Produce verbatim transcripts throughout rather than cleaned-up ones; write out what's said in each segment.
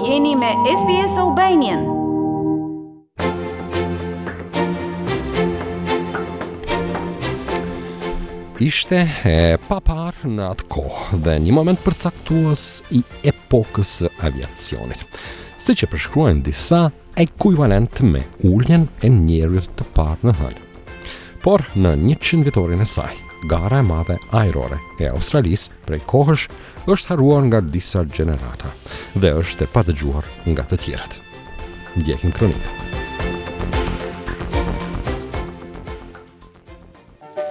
Jeni me S B S Albanian. Ishte e paparë në atë kohë dhe një moment përcaktues i epokës së aviacionit. Siç e përshkruajnë disa, ekuivalent me uljen e njeriut të parë në hënë. Por në njëqind vjetorin e saj, gara e madhe ajrore e Australisë prej kohësh është harruar nga disa gjenerata dhe është e padëgjuar nga të tjerët. Ndjekim kronikën.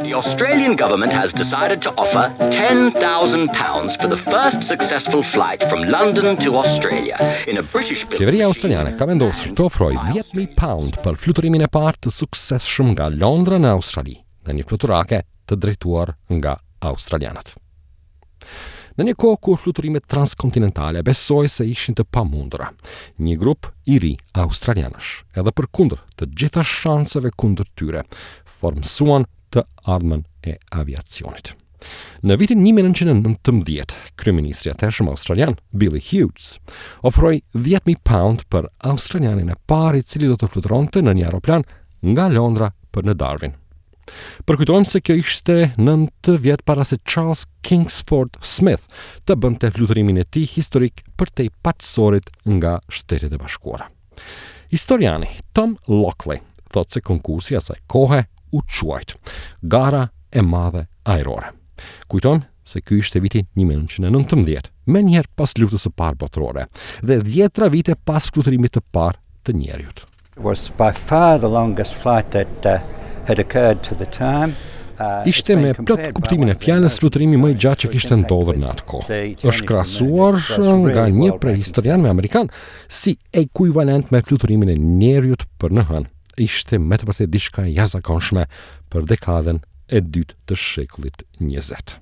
The Australian government has decided to offer ten thousand pounds for the first successful flight from London to Australia in a British built Qeveria australiane ka vendosur të ofrojë dhjetë mijë pound për fluturimin e parë të suksesshëm nga Londra në Australi, në një fluturake të drejtuar nga australianët. Në një kohë kur fluturimet transkontinentale besoj se ishin të pamundura, një grup i ri australianësh, edhe përkundër të gjitha shanseve kundër tyre, formësuan të ardhmen e aviacionit. Në vitin një mijë e nëntëqind e nëntëmbëdhjetë, kryeministri i atëhershëm australian, Billy Hughes, ofroi dhjetë mijë pound për australianin e parë i cili do të fluturonte në një aeroplan nga Londra për në Darwin. Përkujtojmë se kjo ishte nëntë vjet para se Charles Kingsford Smith të bënte fluturimin e tij historik përtej Paqësorit nga Shtetet e Bashkuara. Historiani Tom Lockley thotë se konkursi asaj kohe u quajt Gara e Madhe Ajrore. Kujtojmë se ky ishte viti një mijë e nëntëqind e nëntëmbëdhjetë, menjëherë pas luftës së parë botërore dhe dhjetra vite pas fluturimit të parë të njeriut. It was by far the longest flight that uh, had occurred to the time. Uh, Ishte me plot kuptimin e fjalës fluturimi më i gjatë që kishte ndodhur në atë kohë. Është krahasuar nga një prej historianëve amerikan si ekuivalent me fluturimin e njeriut për në hënë. Ishte me të vërtetë diçka e jashtëzakonshme për dekadën e dytë të shekullit njëzet.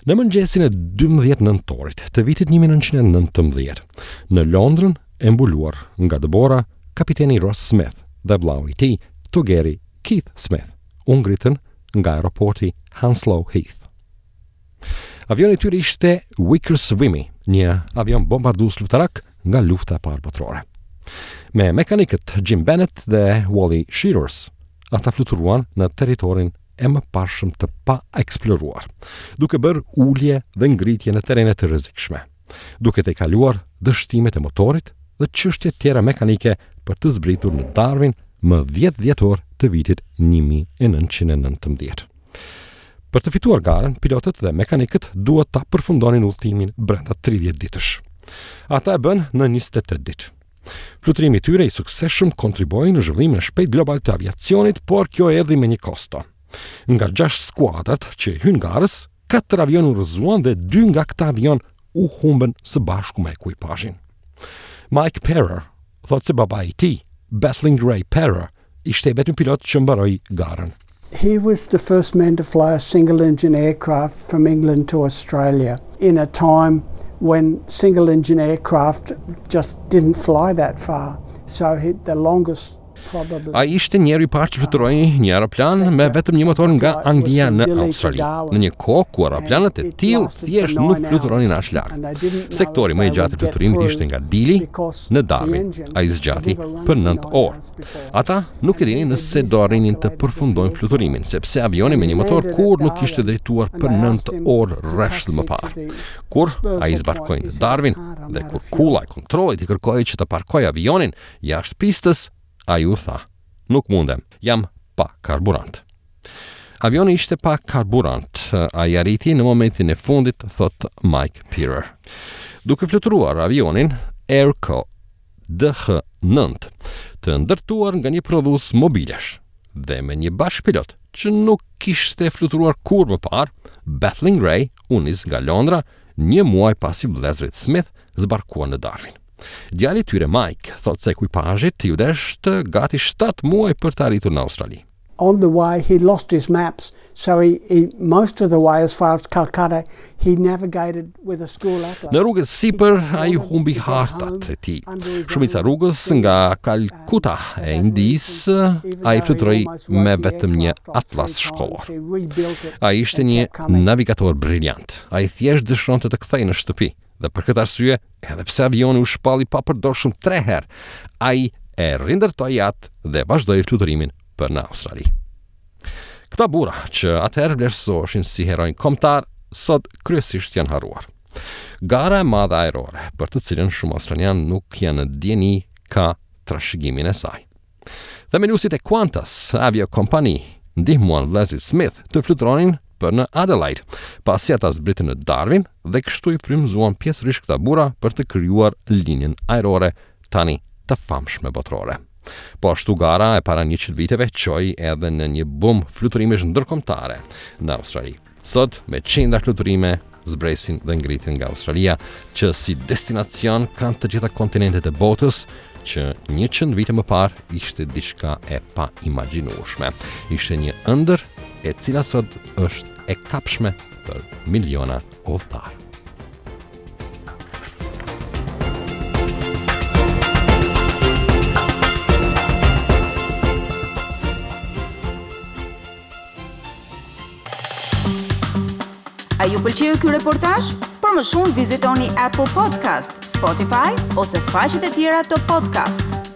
Në mëngjesin e dymbëdhjetë nëntorit të vitit një mijë e nëntëqind e nëntëmbëdhjetë, në Londrën e mbuluar nga dëbora, kapiteni Ross Smith dhe vllau i tij, togeri Keith Smith, u ngritën nga aeroporti Hounslow Heath. Avioni i tyre ishte Vickers Vimy, një avion bombardues luftarak nga lufta e parë botërore. Me mekanikët Jim Bennett dhe Wally Shearers, ata fluturuan në territorin e mëparshëm të pa eksploruar, duke bërë ulje dhe ngritje në terrene të rrezikshme, duke të kaluar dështimet e motorit dhe çështje tjera mekanike për të zbritur në Darwin më dhjetë dhjetor të vitit një mijë e nëntëqind e nëntëmbëdhjetë. Për të fituar garën, pilotët dhe mekanikët duhet ta përfundonin udhëtimin brenda tridhjetë ditësh. Ata e bën në njëzet e tetë ditë. Fluturimi i tyre i suksesshëm kontribuoi në zhvillimin e shpejt global të aviacionit, por kjo erdhi me një kosto. Nga gjashtë skuadrat që hyn garës, katër avion u rrëzuan dhe dy nga këta avion u humbën së bashku me ekuipazhin. Mike Perer thotë se babai i tij, Battling Ray Perer, ishte i vetmi pilot që mbaroi garën. He was the first man to fly a single engine aircraft from England to Australia in a time when single engine aircraft just didn't fly that far. So he, the longest probably Ai ishte njeriu i parë që fluturoi një aeroplan me vetëm një motor nga Anglia në Australi, në një kohë ku aeroplanët e tillë thjesht nuk fluturonin aq larg. Sektori më i gjatë i fluturimit ishte nga Dili në Darwin. Ai zgjati për nëntë orë. Ata nuk e dinin nëse do arrinin të përfundojnë fluturimin, sepse avioni me një motor kur nuk ishte drejtuar për nëntë orë rresht më parë. Kur ai zbarkoi në Darwin dhe kur kulla e kontrollit i kërkoi që të parkojë avionin jashtë pistës, ai u tha: "Nuk mundem, jam pa karburant." Avioni ishte pa karburant, ai arriti në momentin e fundit, thot Mike Perer. Duke fluturuar avionin Airco D H nëntë, të ndërtuar nga një prodhues mobilesh dhe me një bashkëpilot që nuk kishte fluturuar kurrë më parë, Battling Ray u nis nga Londra një muaj pasi vëllezërit Smith zbarkuan në Darwin. Djali i tyre Mike thot se ekuipazhit iu desh të gati shtatë muaj për të arritur në Australi. On the way he lost his maps, so he, he most of the way as far as Calcutta he navigated with a school atlas. Në rrugën sipër ai humbi hartat e tij. Shumica rrugës nga Kalkuta e Indisë ai fluturoi me vetëm një atlas shkollor. Ai ishte një navigator briljant. Ai thjesht dëshironte të kthehej në shtëpi Dhe për këtë arsye, edhe pse avioni u shpall i papërdorshëm tre herë, ai e rindërtoi atë dhe vazhdoi fluturimin për në Australi. Këta burra që atëherë vlerësoheshin si heronj kombëtar, sot kryesisht janë harruar. Gara e madhe ajrore, për të cilën shumë australianë nuk janë në dijeni, ka trashëgimin e saj. Themeluesit e Qantas Avio Company ndihmuan vëllezërit Smith të fluturonin për në Adelaide, pasi ata zbritën në Darwin dhe kështu i frymëzuan pjesërisht këta burra për të krijuar linjën ajrore tani të famshme botërore. Po ashtu gara e para njëqind viteve çoi edhe në një bum fluturimesh ndërkombëtare në Australi. Sot me qindra fluturime zbresin dhe ngritin nga Australia, që si destinacion kanë të gjitha kontinentet e botës, që njëqind vite më parë ishte diçka e paimagjinueshme. Ishte një ëndër e cila sot është e kapshme për miliona udhëtarë. A ju pëlqeu ky reportazh? Për më shumë vizitoni Apple Podcast, Spotify ose faqet e tjera të podcast.